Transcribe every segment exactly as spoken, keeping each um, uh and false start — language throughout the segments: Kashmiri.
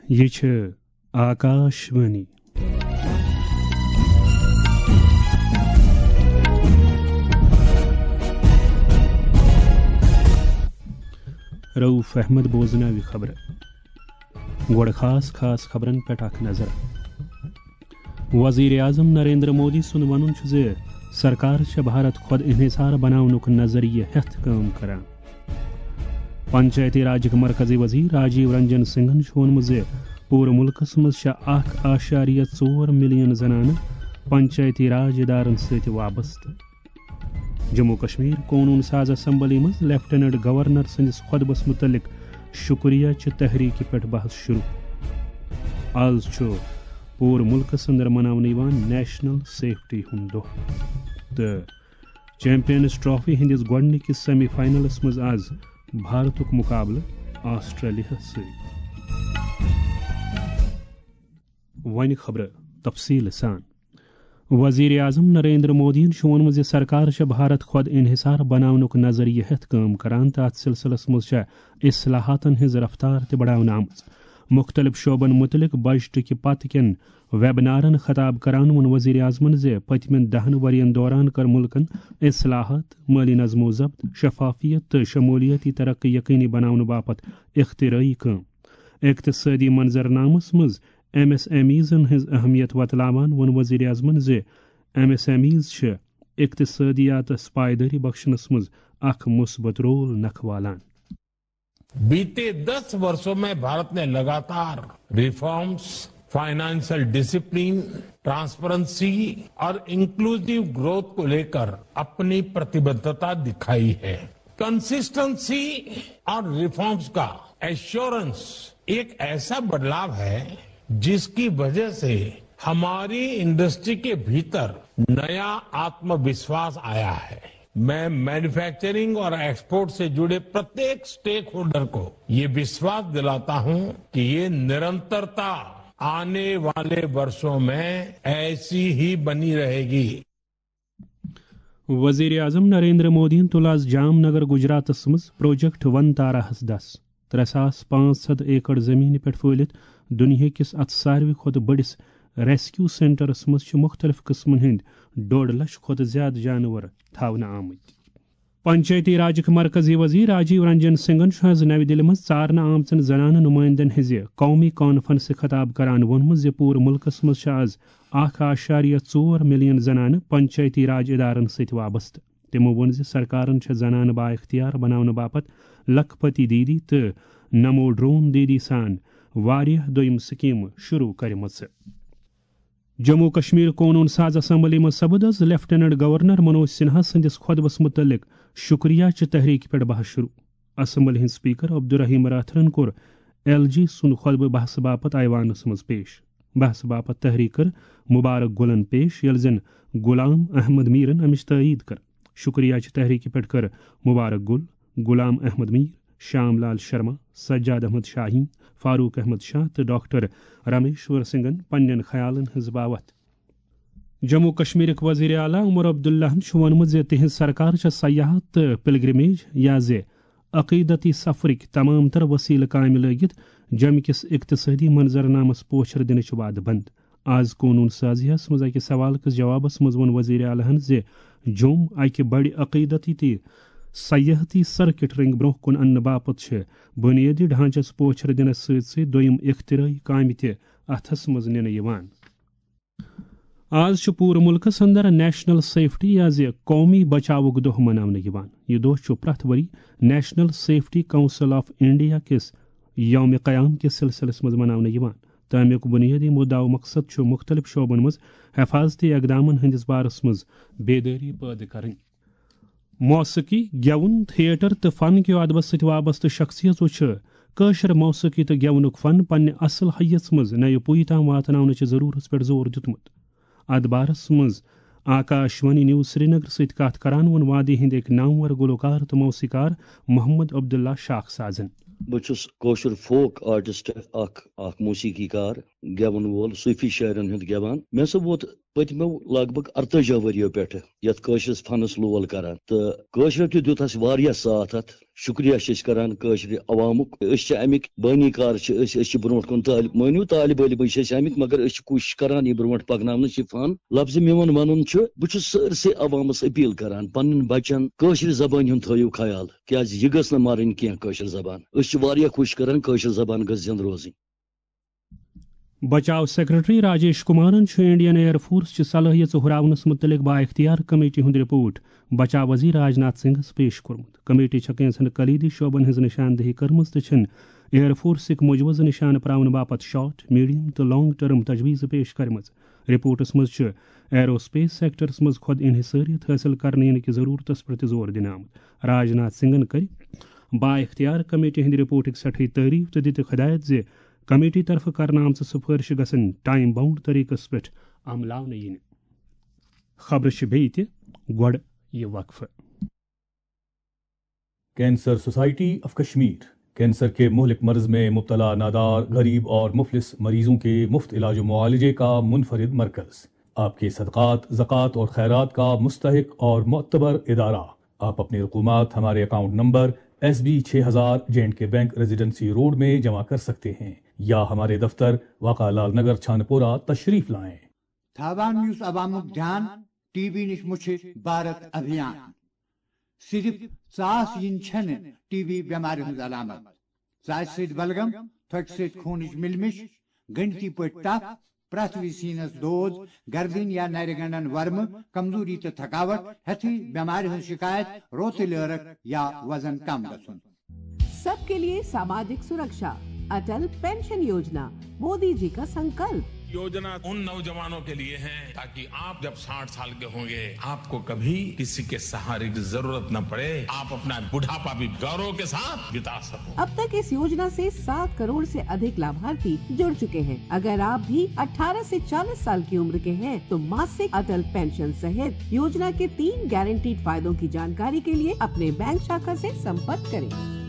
یہِ چھِ آکاش وانی۔ رؤف احمد بوزناوِ خبرٕ۔ گۄڈٕ خاص خاص خبرن پٮ۪ٹھ اکھ نظر۔ وزیر اعظم نریندر مودی سُنٛد وَنُن چھُ زِ سرکار چھےٚ بھارت خۄد انحصار بناونُک نظریہٕ ہٮ۪تھ کٲم کران۔ پنچایتی راجٕکۍ مرکزی وزیر راجیو رنجن سنگھن چھُ ووٚنمُت زِ پوٗرٕ مُلکَس منٛز چھےٚ اکھ اعشاریہ ژور ملین زنانہٕ پنچایتی راج ادارن سۭتۍ وابستہٕ۔ جموں کشمیر قونوٗن ساز اسمبلی منٛز لیفٹیننٹ گورنر سٕنٛدِس خطبس مُتعلق شکریہ چہِ تحریکہِ پٮ۪ٹھ بحث شروع۔ آز چھُ پوٗرٕ مُلکَس اندر مناونہٕ یِوان نیشنل سیفٹی ہُنٛد دۄہ۔ تہٕ چیمپئنز ٹرافی ہٕنٛدِس گۄڈٕنِکِس سیمی فاینلس منٛز آز بھارتُک مُقابلہٕ آسٹریلیاہَس سۭتۍ۔ وۄنۍ خبرٕ تفصیٖل سان۔ وزیر اعظم نریندر مودیَن چھُ ووٚنمُت زِ سرکار چھےٚ بھارت خۄد انحصار بناونُک نظریہٕ ہٮ۪تھ کٲم کران تہٕ اتھ سلسلس منٛز چھےٚ اصلاحاتن ہٕنٛز رفتار تہِ بڑاونہٕ آمٕژ۔ مُختٔلِف شعبن مُتعلق بجٹہٕ کہِ پتہٕ کٮ۪ن ویبنارن خطاب کران ووٚن وزیر اعظمن زِ پٔتمٮ۪ن دَہَن ؤرین دوران کٔر مُلکن اصلاحات، مٲلی نظم و ضبط، شفافیت تہٕ شمولیتی ترقی یقینی بناونہٕ باپتھ اختراعی کٲم۔ اقتصٲدی منظرنامس منٛز ایم ایس ایم ایزن ہٕنٛز اہمیت وۄتلاوان ووٚن وزیر اعظمن زِ ایم ایس ایم ایز چھِ اقتصٲدیاتس پائیدٲری بخشنس منٛز اکھ مثبت رول نکھوالان۔ बीते दस वर्षों में भारत ने लगातार रिफॉर्म्स, फाइनेंशियल डिसिप्लिन, ट्रांसपेरेंसी और इंक्लूसिव ग्रोथ को लेकर अपनी प्रतिबद्धता दिखाई है। कंसिस्टेंसी और रिफॉर्म्स का एश्योरेंस एक ऐसा बदलाव है जिसकी वजह से हमारी इंडस्ट्री के भीतर नया आत्मविश्वास आया है। मैं मैन्युफैक्चरिंग और एक्सपोर्ट से जुड़े प्रत्येक स्टेक होल्डर को ये विश्वास दिलाता हूं कि ये निरंतरता आने वाले वर्षों में ऐसी ही बनी रहेगी। وزیر اعظم نریندر مودیَن تُل آز جام نگر گجراتس منٛز پروجیکٹ ون تاراہس دس۔ ترٛےٚ ساس پانٛژھ ہتھ ایکڑ زمینہِ پٮ۪ٹھ پھٔہلِتھ دُنیاہکِس اتھ ساروی کھۄتہٕ بٔڑِس ریسکیو سینٹرس منٛز چھِ مُختٔلِف قٕسمن ہٕنٛدۍ ڈوٚڈ لچھ کھۄتہٕ زیادٕ جانور تھاونہٕ آمٕتۍ۔ پنچایتی راجٕکۍ مرکزی وزیر راجیو رنجن سنگھن چھُ آز نَوِ دِلہِ منٛز ژارنہٕ آمژن زنانہٕ نُمٲیندن ہٕنٛزِ قومی کانفرنسہِ خطاب کران ووٚنمُت زِ پوٗرٕ مُلکس منٛز چھِ آز اکھ اعشاریہ ژور ملین زنانہٕ پنچایتی راج ادارن سۭتۍ وابستہٕ۔ تِمو ووٚن زِ سرکارن چھےٚ زنانہٕ بااختیار بناونہٕ باپتھ لکھ پتی دیدی تہٕ نمو ڈرون دیدی سان واریاہ دوٚیِم سکیمہٕ شروع کٔرمٕژ۔ جموں کشمیر قونون ساز اسمبلی منٛز سپُد آز لیفٹیننٹ گورنر منوج سنہا سٕنٛدِس خطبس مُتعلق شکریہ چہِ تحریکہِ پٮ۪ٹھ بحث شروع۔ اسمبلی ہٕنٛدۍ سپیکر عبدالرحیم راتھرن کوٚر ایل جی سُنٛد خطبہٕ بحثہٕ باپتھ ایوانس منٛز پیش۔ بحثہٕ باپتھ تحریک کٔر مبارک گلن پیش، ییٚلہِ زن غلام احمد میرن امِچ تائید کٔر۔ شکریہ چہِ تحریکہِ پٮ۪ٹھ کٔر مبارک گل، غلام احمد میر، شام لال شرما، سجاد احمد شاہین، فاروق احمد شاہ تہٕ ڈاکٹر رامیشور سنگھن پننٮ۪ن خیالن ہٕنٛز باوتھ۔ جموں کشمیرٕکۍ وزیر اعلیٰ عمر عبداللہن چھُ ووٚنمُت زِ تِہنٛز سرکار چھےٚ سیاحت تہٕ پلگرمیج یا زِ عقیدتی سفرٕکۍ تمام تر وسیلہٕ کامہِ لٲگِتھ جمہِ کِس اقتصٲدی منظرنامس پوچھر دِنٕچ وعدٕ بنٛد۔ آز قونون سازیہ ہس منٛز اکہِ سوال کِس جوابس منٛز ووٚن وزیر اعلیٰ ہن زِ جوٚم اکہِ بڑِ عقیدتی تہٕ سیاحتی سرکٹ رنگ برونٛہہ کُن اننہٕ باپتھ چھِ بنیٲدی ڈھانچس پوچھر دِنس سۭتۍ سۭتۍ دوٚیم اختراعی کامہِ تہِ اتھس منٛز نِنہٕ یِوان۔ آز چھُ پوٗرٕ مُلکس اندر نیشنل سیفٹی یا زِ قومی بچاوُک دۄہ مناونہٕ یِوان۔ یہِ دۄہ چھُ پرٛٮ۪تھ ؤری national safety council of India کِس یوم قیام کِس سلسلس منٛز مناونہٕ یِوان۔ تہٕ امیُک بنیٲدی مُدعا و مقصد چھُ مُختٔلِف شعبن منٛز حفاظتی اقدامن ہٕنٛدِس بارس منٛز بیدٲری پٲدٕ کرٕنۍ۔ موسیقی، گٮ۪وُن، تھیٹر تہٕ فن کہِ ادبس سۭتۍ وابستہٕ شخصیژو چھِ کٲشِر موسیقی تہٕ گٮ۪ونُک فن پننہِ اصل حیژ منٛز نَیہِ پُیہِ تام واتناونٕچہِ ضروٗرتس پٮ۪ٹھ زور دیُتمُت۔ اتھ بارس منٛز آکاش وانی نیوز سرینگر سۭتۍ کتھ کران ووٚن وادی ہٕنٛدۍ أکۍ نامور گلوکار تہٕ موسیقار محمد عبداللہ شاخ سازن۔ بہٕ چھُس کٲشُر فوک آرٹسٹ، اکھ اکھ موسیقی کار، گٮ۪وَن وول، صوٗفی شٲعرَن ہُنٛد گٮ۪وان۔ مےٚ ہسا ووت پٔتمیو لگ بگ ارتٲجی ؤریو پٮ۪ٹھٕ یتھ کٲشرِس فنس لول کران، تہٕ کٲشرٮ۪و تہِ دیُت اسہِ واریاہ ساتھ اتھ۔ شُکریہ چھِ أسۍ کران کٲشرِ عوامُک۔ أسۍ چھِ اَمِکۍ بٲنی کار چھِ أسۍ، أسۍ چھِ برونٛٹھ کُن طٲلب، مٲنِو طالب علمٕے چھِ أسۍ اَمِکۍ، مگر أسۍ چھِ کوٗشِش کران یہِ برونٛٹھ پَکناونٕچ یہِ فن۔ لفظ میون وَنُن چھُ، بہٕ چھُس سٲرسٕے عوامس اپیل کران، پنٕنٮ۪ن بچن کٲشرِ زبٲنۍ ہُنٛد تھٲیِو خیال، کیازِ یہِ گٔژھ نہٕ مرٕنۍ کینٛہہ کٲشِر زبان۔ أسۍ چھِ واریاہ کوٗشِش کران کٲشِر زبان گٔژھ زِندٕ روزٕنۍ۔ بچاو سیکرٹری راجیش کمارن چھُ انڈین ایئر فورس چہِ صلٲحیژٕ ہُراونس مُتعلق بااختیار کمیٹی ہُنٛد رپورٹ بچاو وزیر راجناتھ سنگھس پیش کوٚرمُت۔ کمیٹی چھےٚ کینٛژن کلیدی شعبن ہٕنٛز نشاندہی کٔرمٕژ تہٕ چھِن ایئر فورسٕکۍ مُجوِزٕ نشانہٕ پراونہٕ باپتھ شارٹ، میڈیم تہٕ لانگ ٹرم تجویزٕ پیش کرِمژٕ۔ رپورٹس منٛز چھُ ایرو سپیس سیکٹرس منٛز خود انحصاریت حٲصِل کرنہٕ یِنہٕ کہِ ضرورتس پٮ۪ٹھ تہِ زور دِنہٕ آمُت۔ راجناتھ سنگھن کٔرۍ بااختیار کمیٹی ہٕنٛدِ رپورٹٕکۍ سٮ۪ٹھٕے تعریف تہٕ دِتکھ ہدایت زِ کمیٹی طرفہٕ کرنہٕ آمژٕ سفٲرشہٕ گژھن ٹائم باؤنڈ طریقس پٮ۪ٹھ عملاونہٕ یِنہٕ۔ خبرٕ چھِ بیٚیہِ تہِ، گۄڈٕ یہِ وقفہٕ۔ Cancer society of Kashmir cancer کے مہلک مرض میں مبتلا نادار، غریب اور مفلس مریضوں کے مفت علاج و معالجے کا منفرد مرکز۔ آپ کے صدقات، زکوٰۃ اور خیرات کا مستحق اور معتبر ادارہ۔ آپ اپنی رقومات ہمارے اکاؤنٹ نمبر ایس بی چھ ہزار، J and K bank, residency road میں جمع کر سکتے ہیں یا ہمارے دفتر، واقع لال نگر، چھانپورہ تشریف لائیں۔ تھاوان یُس عوامُک دھیان ٹی بی نِش مُچھِ بھارت ابھیان۔ صرف ژاس یِنۍ چھَنہٕ ٹی بی بٮ۪مارِ ہٕنٛز علامت۔ ژاسہِ سۭتۍ بلغم، تھۄکہِ سۭتۍ خوٗنٕچ مِلمِش، گٔنڈتی پٲٹھۍ تپھ، پرٛٮ۪تھ وِزِ سیٖنس دود، گردٕنۍ یا نرِ گنڈن ورمہٕ، کمزوری تہٕ تھکاوٹ، ہٮ۪تھٕے بٮ۪مارِ ہٕنٛز شکایت، روتٕلۍ عٲرق یا وزن کم گژھُن۔ सबके लिए सामाजिक सुरक्षा, अटल पेंशन योजना, मोदी जी का संकल्प। योजना उन नौजवानों के लिए है, ताकि आप जब साठ साल के होंगे, आपको कभी किसी के सहारे की जरूरत न पड़े, आप अपना बुढ़ापा भी गौरव के साथ बिता सको। अब तक इस योजना से सात करोड़ से अधिक लाभार्थी जुड़ चुके हैं। अगर आप भी अठारह से चालीस साल की उम्र के हैं, तो मासिक अटल पेंशन सहित योजना के तीन गारंटीड फायदों की जानकारी के लिए अपने बैंक शाखा से संपर्क करें।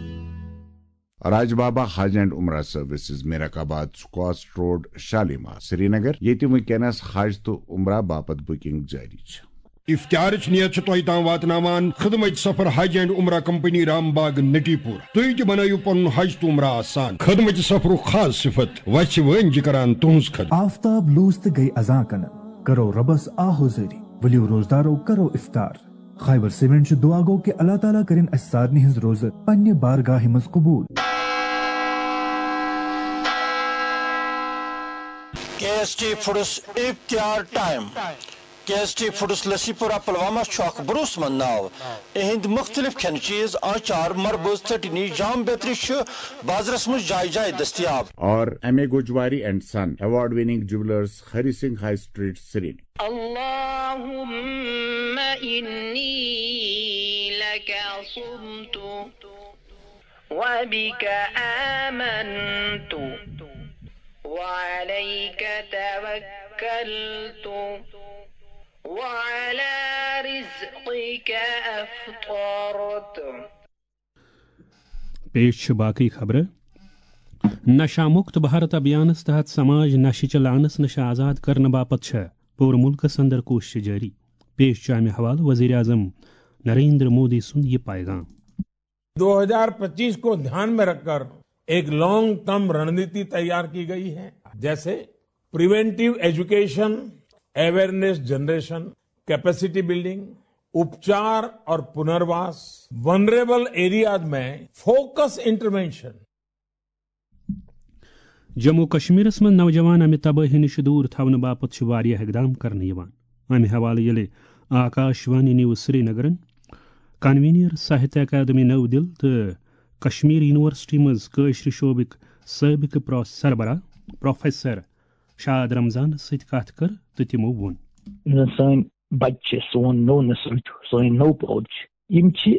راج بابا حج اینڈ عمرہ سروسز، میرک آباد، سکواسٹ روڈ، شالیمار، سرینگر، ییٚتہِ وٕنکیٚنس حج تہٕ عمرہ باپتھ بکنگ جٲری چھِ۔ افتارٕچ نیت چھِ تۄہہِ تام واتناوان خدمت سفر حج اینڈ عمرہ کمپنی رام باغ نٹی پور۔ تُہۍ تہِ بنٲیِو پنُن حج تہٕ عمرہ آسان۔ خدمت سفرُک خاص صفت وژھِ وٲنۍ جہِ کران تُہنٛز خدمت۔ آفتاب لوٗس تہٕ گٔے اذان کنن، کرو رۄبس آ حوزٲری، ؤلِو روزدارو کرو افطار۔ خیبر سیمنٹ چھُ دعا گو کہ اللہ تعالیٰ کٔرِن اسہِ سارنٕے ہٕنٛز روزٕ پننہِ بارگاہہِ منٛز قبول۔ کے ایس ٹی فوڈس اختیار ٹائم۔ کے ایس ٹی فوڈس لسی پورہ پلوامہ چھُ اکھ بروسہٕ مند ناو۔ اِہنٛدۍ مُختٔلِف کھٮ۪نہٕ چیٖز، آنچار، مربٕز، ژٹنی، جام بیترِ چھِ بازرس منٛز جایہِ جایہِ دٔستیاب۔ اور M A Gojwari and son, award winning jewellers, Hari Singh high street, Srinagar. اللهم إني لك صمت وبك آمنت وعليك توكلت وعلى رزقك أفطرت۔ پیش چھِ باقٕے خبرٕ۔ نشہ مکت بھارت ابھیانس تحت سماج نشہِ چہِ لعنس نش آزاد کرنہٕ باپتھ چھےٚ پوٗرٕ مُلکس اندر کوٗششہٕ جٲری۔ پیش چھُ امہِ حوالہٕ وزیر اعظم نریندر مودی سُنٛد یہِ پیغام۔ دو ہزار پچیس کو دھیان میں رکھ کر ایک لانگ ٹرم رننیتی تیار کی گئی ہے، جیسے preventive education, awareness generation, capacity building, اپچار اور پنرواس، ونریبل ایریاز میں فوکس انٹروینشن۔ جموں و کشمیرس منٛز نوجوان امہِ تبٲہی نِش دوٗر تھاونہٕ باپتھ چھِ واریاہ اقدام کرنہٕ یِوان۔ امہِ حوالہٕ ییٚلہِ آکاش وانی نیوز سرینگرن کنوینر ساہتیہ اکیڈمی نٔو دِل تہٕ کشمیر یونیورسٹی منٛز کٲشرِ شعبٕکۍ سٲبقہٕ پرو-، سربراہ پروفیسر شاد رمضانس سۭتۍ کتھ کٔر تہٕ تِمو ووٚن۔ یُس زن سٲنۍ بچہِ چھِ، سون نوٚو نسل چھُ، سٲنۍ نٔو پود چھِ، یِم چھِ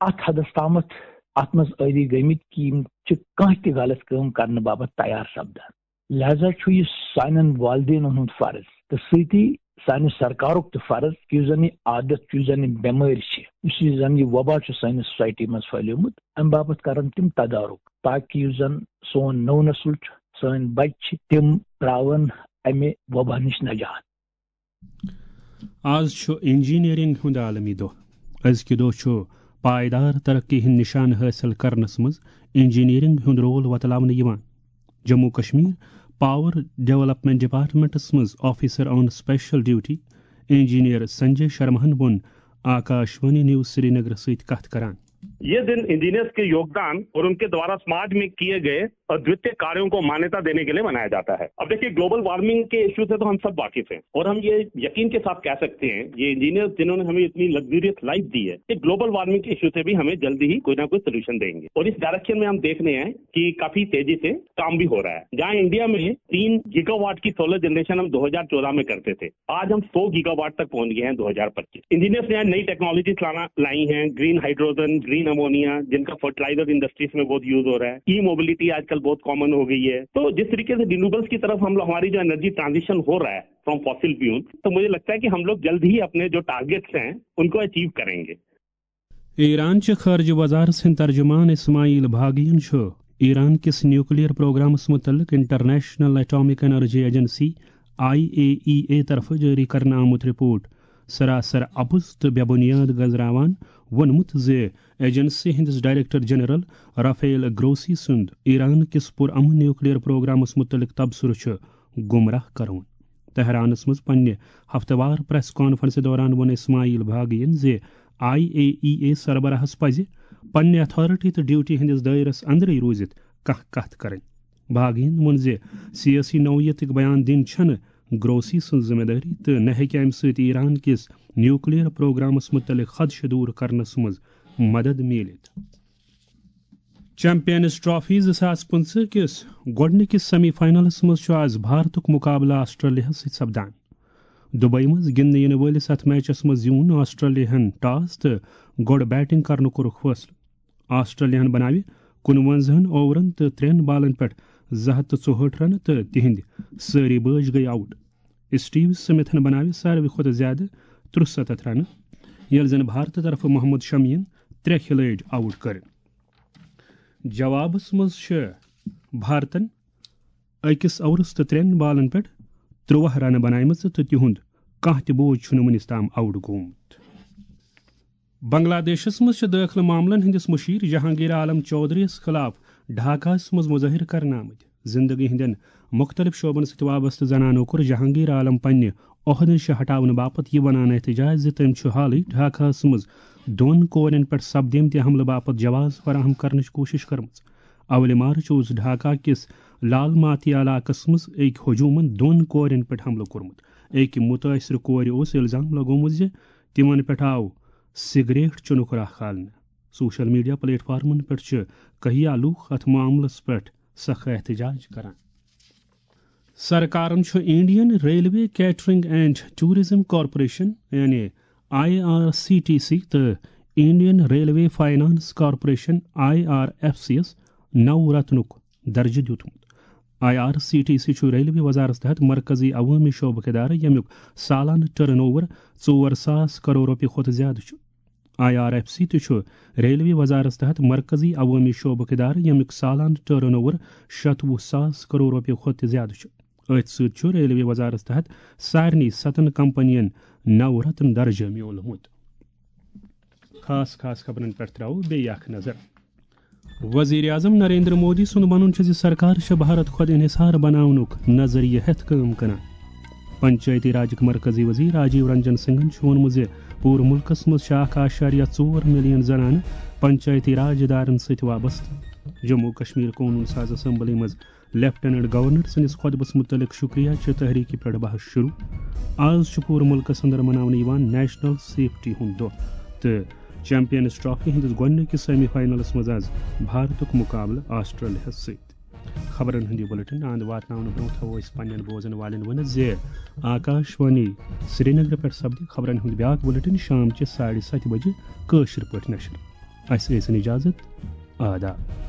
اتھ حدس تامتھ اتھ منٛز عٲدی گٔمٕتۍ کہِ یِم چھِ کانٛہہ تہِ غلط کٲم کرنہٕ باپتھ تیار سپدان۔ لہذا چھُ یہِ سانٮ۪ن والدینن ہُنٛد فرض تہٕ سۭتی سانہِ سرکارُک تہِ فرض کہِ یُس زن یہِ عادت چھُ، یُس زن یہِ بٮ۪مٲرۍ چھِ، یُس یہِ زن یہِ وبا چھُ سانہِ سوسایٹی منٛز پھٔہلیومُت، امہِ باپتھ کرن تِم تدارُک، تاکہِ یُس زن سون نوٚو نسل چھُ، سٲنۍ بچہِ چھِ، تِم تراون امہِ وبا نِش نجات۔ آز چھُ انجینئرنگ ہُنٛد عالمی دۄہ۔ أزکہِ دۄہ چھُ پائیدار ترقی ہُنٛد نشانہٕ حٲصِل کرنس منٛز انجینئرنگ ہُنٛد رول وۄتلاونہٕ یِوان۔ Jammu Kashmir power development departments منٛز آفیسر آن اسپیشل ڈیوٹی انجینئر سنجے شرماہن ووٚن آکاشوانی نیوز سرینگر سۭتۍ کتھ کران۔ ये दिन इंजीनियर्स के योगदान और उनके द्वारा समाज में किए गए अद्वितीय कार्यों को मान्यता देने के लिए मनाया जाता है। अब देखिए, ग्लोबल वार्मिंग के इशू से तो हम सब वाकिफ हैं और हम ये यकीन के साथ कह सकते हैं, ये इंजीनियर्स जिन्होंने हमें इतनी लग्जरियस लाइफ दी है, ये ग्लोबल वार्मिंग के इशू से भी हमें जल्दी ही कोई ना कोई सोल्यूशन देंगे। और इस डायरेक्शन में हम देख रहे हैं कि काफी तेजी से काम भी हो रहा है। जहां इंडिया में तीन गीगावाट की सोलर जनरेशन हम दो हज़ार चौदह में करते थे, आज हम सौ गीगावाट तक पहुंच गए हैं दो हज़ार पच्चीस। इंजीनियर्स ने नई टेक्नोलॉजीज लाना लाई हैं, ग्रीन हाइड्रोजन, ग्रीन अमोनिया, जिनका फर्टिलाइजर इंडस्ट्रीज में बहुत यूज हो रहा है। ई मोबिलिटी आजकल बहुत कॉमन हो गई है। तो जिस तरीके से रिन्यूएबल्स की तरफ हम लोग, हमारी जो एनर्जी ट्रांजिशन हो रहा है फ्रॉम फॉसिल फ्यूल, तो मुझे लगता है कि हम लोग जल्द ही अपने जो टारगेट्स हैं उनको अचीव करेंगे। ایران چہِ خارجہ وزارت سٕنٛدۍ ترجمان اسماعیل باغیَن چھُ ایران کِس نیوکلیئر پروگرامس مُتعلق international atomic energy agency, I A E A, طرفہٕ جٲری کرنہٕ آمُت رپورٹ سراسر اپُز تہٕ بے بنیاد گزراوان ووٚنمُت زِ ایجنسی ہٕنٛدِس ڈائریکٹر جنرل رافیل گروسی سُنٛد ایران کِس پُرامن نیوکلیئر پروگرامس مُتعلق تبصرٕ چھُ گمراہ کرون۔ تہرانس منٛز پننہِ ہفتہٕ وار پریس کانفرنسہِ دوران ووٚن اسماعیل باغیَن زِ آئی اے ای اے سربراہس پزِ پننہِ اتھارٹی تہٕ ڈیوٹی ہٕنٛدِس دٲیرس اندرٕے روٗزِتھ کانٛہہ کتھ کرٕنۍ۔ باغیَن ووٚن زِ سیٲسی نوعیتٕکۍ بیان دِنۍ چھنہٕ گروسی سٕنٛز ذمہ دٲری تہٕ نہ ہیٚکہِ امہِ سۭتۍ ایران کِس نیوکلیئر پروگرامس مُتعلق خدشہٕ دوٗر کرنس منٛز مدد میٖلِتھ۔ چیمپئنز ٹرافی زٕ ساس پٕنٛژٕہ کِس گۄڈٕنِکِس سیمی فاینلس منٛز چھُ آز بھارتُک مُقابلہٕ آسٹریلیاہَس سۭتۍ سپدان۔ دبئی منٛز گِنٛدنہٕ یِنہٕ وٲلِس اَتھ میچس منٛز زیوٗن آسٹریلیاہَن ٹاس تہٕ گۄڈٕ بیٹنگ کرنُک کوٚرُکھ فٲصلہٕ۔ آسٹریلیاہَن بناوِ کُنوَنزاہَن اوورن تہٕ ترٛٮ۪ن بالن پٮ۪ٹھ زٕ ہَتھ تہٕ ژُہٲٹھ رنہٕ تہٕ تِہنٛدۍ سٲری بٲج گٔیہِ آوٹ۔ اسٹیو سمتھن بناوِ ساروی کھۄتہٕ زیادٕ ترُسَتتھ رنہٕ، ییٚلہِ زن بھارتہٕ طرفہٕ محمد شمیَن ترٛےٚ کھلٲڑۍ آوٹ کٔرۍ۔ جوابس منٛز چھِ بھارتن أکِس اوورس تہٕ ترٛٮ۪ن بالن پٮ۪ٹھ ترٛواہ رنہٕ بناومژٕ تہٕ تِہُنٛد کانٛہہ تہِ بوج چھُنہٕ وُنِس تام آوٹ گوٚمُت۔ بنگلہ دیشس منٛز چھِ دٲخلہٕ معاملن ہٕنٛدِس مُشیر جہانگیر عالم چودھری یَس خٕلاف ڈھاکاہَس منٛز مُظٲہرٕ کرنہٕ آمٕتۍ۔ زندگی ہٕنٛدٮ۪ن مُختٔلِف شعبن سۭتۍ وابستہٕ زنانو کوٚر جہانگیر عالم پننہِ عہدٕ نِش ہٹاونہٕ باپتھ یہِ ونان احتجاج زِ تٔمۍ چھُ حالٕے ڈھاکاہَس منٛز دۄن کورٮ۪ن پٮ۪ٹھ سپدیمتہِ حملہٕ باپتھ جواز فراہم کرنٕچ کوٗشش کٔرمٕژ۔ اولہِ مارچ اوس ڈھاکہ کِس لال ماتی علاقس منٛز أکۍ ہجومن دۄن کورٮ۪ن پٮ۪ٹھ حملہٕ کوٚرمُت۔ أکۍ مُتٲثرٕ کورِ اوس الزام لگومُت زِ تِمن پٮ۪ٹھ آو سگریٹ چُنُک راہ کھالنہٕ۔ سوشل میڈیا پلیٹ فارمن پٮ۪ٹھ چھِ کہیا لوٗکھ اتھ معاملس پٮ۪ٹھ سخت احتجاج کران۔ سرکارن چھُ Indian railway catering and tourism corporation, یعنی I R C T C, تہٕ Indian railway finance corporation, I R F C یَس نو رتنُک درجہٕ دیُتمُت۔ I R C T C چھُ ریلوے وزارت تحت مرکزی عوٲمی شعبُک ادارٕ، ییٚمیُک سالانہٕ ٹرن اوور ژور ساس کرور رۄپیہِ کھۄتہٕ زیادٕ چھُ۔ آئی آر ایف سی تہِ چھُ ریلوے وزارت تحت مرکزی عوٲمی شعبُک ادارٕ، ییٚمیُک سالانہٕ ٹرن اوور شتوُہ ساس کرور رۄپیہِ کھۄتہٕ تہِ زیادٕ چھُ۔ أتھۍ سۭتۍ چھُ ریلوے وزارت تحت سارنٕے ستن کمپنین نو رتن درجہٕ میوٗلمُت۔ خاص خاص خبرن پٮ۪ٹھ ترٛاوو بیٚیہِ اکھ نظر۔ وزیر اعظم نریندر مودی سُنٛد وَنُن چھُ زِ سرکار چھےٚ بھارت خۄد انحصار بناونُک نظریہٕ ہٮ۪تھ کٲم کران۔ پنچایتی راجٕکۍ مرکزی وزیر راجیو رنجن سنگھن چھُ ووٚنمُت زِ پوٗرٕ مُلکَس منٛز چھِ اکھ اعشاریہ ژور ملین زنانہٕ پنچایتی راج ادارن سۭتۍ وابستہٕ۔ جموں و کشمیر قونوٗن ساز اسمبلی منٛز لیفٹیننٹ گورنر سٕنٛدِس خطبس مُتعلق شُکریہ چہِ تحریٖکہِ پٮ۪ٹھ بحث شروع۔ آز چھُ پوٗرٕ مُلکَس اندر مناونہٕ یِوان نیشنل سیفٹی ہُنٛد دۄہ تہٕ چیمپئنز ٹرافی ہٕنٛدِس گۄڈٕنِکِس سیمی فاینلس منٛز آز بھارتُک مُقابلہٕ آسٹریلیاہَس سۭتۍ۔ خبرن ہُنٛد یہِ بُلٹن اند واتناونہٕ برٛونٛہہ تھاوو أسۍ پننٮ۪ن بوزن والٮ۪ن ؤنِتھ زِ آکاش وانی سرینگرٕ پٮ۪ٹھ سپدِ خبرن ہُنٛد بیٛاکھ بُلٹن شام چہِ ساڑِ ستہِ بجہِ کٲشِر پٲٹھۍ نشر۔ اسہِ ٲسِن اجازت۔ آداب۔